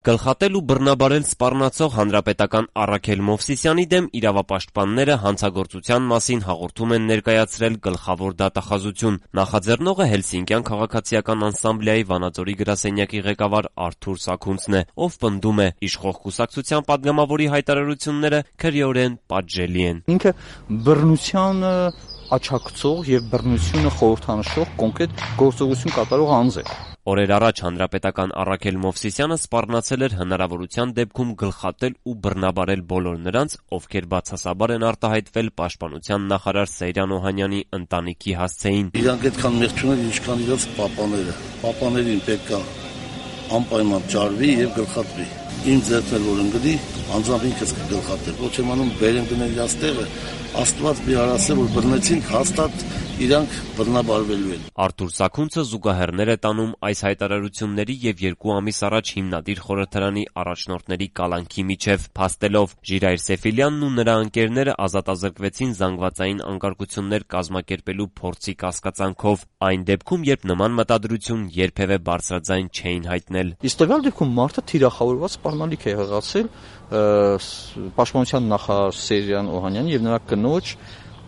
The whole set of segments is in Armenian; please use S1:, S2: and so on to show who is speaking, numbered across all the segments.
S1: Գլխատել ու բռնաբարել սպառնացող հանրապետական Առաքել Մովսիսյանի դեմ իրավապաշտպանները հանցագործության մասին հաղորդում են ներկայացրել գլխավոր դատախազություն։ Նախաձեռնողը Հելսինկյան քաղաքացիական անսամբլեայի Վանաձորի գրասենյակի ղեկավար Արթուր Սաքունցն է, ով պնդում է՝ իշխող կուսակցության պատգամավորի հայտարարությունները քրեորեն պատժելի են։
S2: Ինքը բռնությանը աչակցող եւ բռնությունը խորհրդանշող կոնկրետ գործողություն կատարող անձ է։
S1: Օրեր առաջ հանրապետական Առաքել Մովսիսյանը սպառնացել էր հնարավորության դեպքում գլխատել ու բռնաբարել բոլոր նրանց, ովքեր բացասաբար են արտահայտվել պաշտպանության նախարար Սեյրան Օհանյանի ընտանիքի հասցեին։
S3: Իրանք այդքան մեղք չունեն, ինչքան իրաց պապաները։ Պապաներին պետք է անպայման ջարվի եւ գլխատվի։ Իմ ձեռքն որ ընկնի, անձամբ ինքս կգլխատել։ Ոչ եմ անում բերեմ դնել իրաց տեղը, Աստված մի հարասե որ բռնեցինք, հաստատ իրանք բռնաբարվելու են։
S1: Արթուր Սաքունցը զուգահեռներ է տանում այս հայտարարությունների եւ 2 ամիս առաջ հիմնադիր խորհրդարանի առաջնորդների կալանքի միջև, փաստելով Ժիրայր Սեֆիլյանն ու նրա ընկերները ազատազրկվեցին զանգվածային անկարգություններ կազմակերպելու փորձի կասկածանքով, այն դեպքում, երբ նման մտադրություն երբևէ բարձրաձայն չէին հայտնել։
S2: Իսկ տվյալ դեպքում մարդը թիրախավորված սպառնալիք է եղացել պաշտպանության նախարար Սեյրան Օհանյանի եւ նրա կնոջ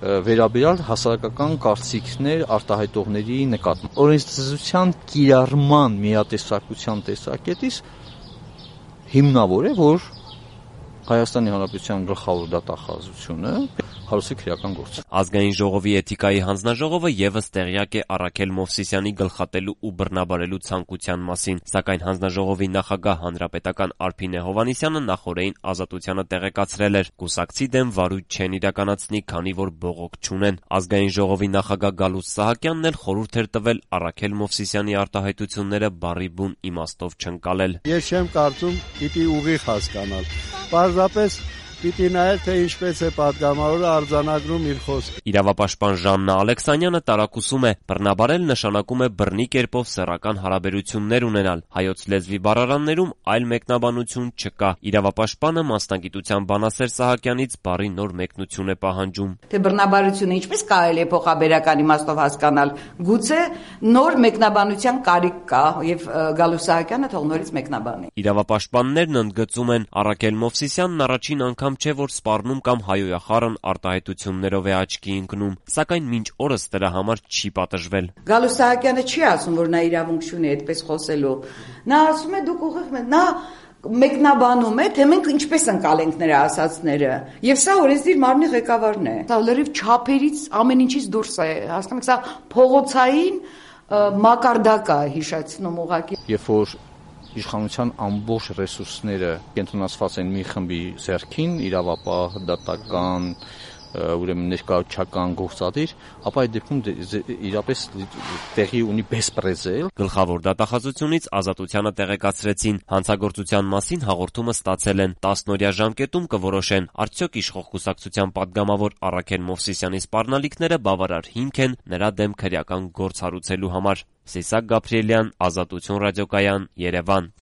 S2: վերաբերյալ հասարակական կարծիքներ արտահայտողների նկատմամբ։ Օրենսդրության կիրառման միատեսակության տեսակետից հիմնավոր է, որ Հայաստանի Հանրապետության գլխավոր դատախազությունը հարուցի քրեական գործ։
S1: Ազգային ժողովի էթիկայի հանձնաժողովը եւս տեղյակ է Առաքել Մովսիսյանի գլխատելու ու բռնաբարելու ցանկության մասին, սակայն հանձնաժողովի նախագահ հանրապետական Արփինե Հովհաննիսյանը նախօրեին ազատությանը տեղեկացրել էր՝ կուսակցի դեմ վարույթ չեն իրականացնի, քանի որ բողոք չունեն։ Ազգային ժողովի նախագահ Գալուստ Սահակյանն էլ խորհուրդ էր տվել Առաքել Մովսիսյանի արտահայտությունները բառի բուն իմաստով չընկալել։
S4: Ես չեմ կարծում պիտի ուղիղ հասկանալ։ Պարզապես պիտի նայել, թե ինչպես է պատգամավորը արձանագրում իր խոսքը։
S1: Իրավապաշտպան Ժաննա Ալեքսանյանը տարակուսում է՝ բռնաբարել նշանակում է բռնի կերպով սեռական հարաբերություններ ունենալ։ Հայոց լեզվի բառարաններում այլ մեկնաբանություն չկա։ Իրավապաշտպանը մասնագիտության բանասեր Սահակյանից բառի նոր մեկնություն է պահանջում։
S5: Թե բռնաբարությունը ինչպես կարելի է փոխաբերական իմաստով հասկանալ, գուցե նոր մեկնաբանության կարիք կա եւ Գալուստ Սահակյանը թող նորից մեկնաբանի։
S1: Իրավապաշտպաններն ընդգծում են՝ Առաքել Մովսիսյանն առաջին անգամ չէ, որ սպառնում կամ հայոյախառն արտահայտություններով է աչքի ընկնում, սակայն մինչ օրս դրա համար չի պատժվել։
S5: Գալուստ Սահակյանը չի ասում, որ նա իրավունք չունի այդպես խոսելու։ Նա ասում է դուք ուղիղ նա մեկնաբանում է, թե մենք ինչպես ընկալենք նրա ասածները։ Եվ սա օրենսդիր մարմնի ղեկավարն է։ Դա լրիվ չափերից ամեն ինչից դուրս է, հասկանում եք, սա փողոցային մակարդակ է հիշեցնում ուղղակի։
S2: Երբ որ իշխանության ամբողջ ռեսուրսները կենտրոնացված են մի խմբի ձեռքին, իրավապահ, դատական, ուրեմն ներկայացական գործադիր, ապա այդ դեպքում իրապես տեղի ունի բեսպրեզել։
S1: Գլխավոր դատախազությունից ազատությանը տեղեկացրեցին, հանցագործության մասին հաղորդումը ստացել են, 10-օրյա ժամկետում կորոշեն, արդյոք իշխող կուսակցության պատգամավոր Առաքել Մովսիսյանի սպառնալիքները բավարար հիմք են նրա դեմ քրեական գործ հարուցելու համար։ Սիսակ Գաբրիելյան, Ազատություն ռադիոկայան, Երևան։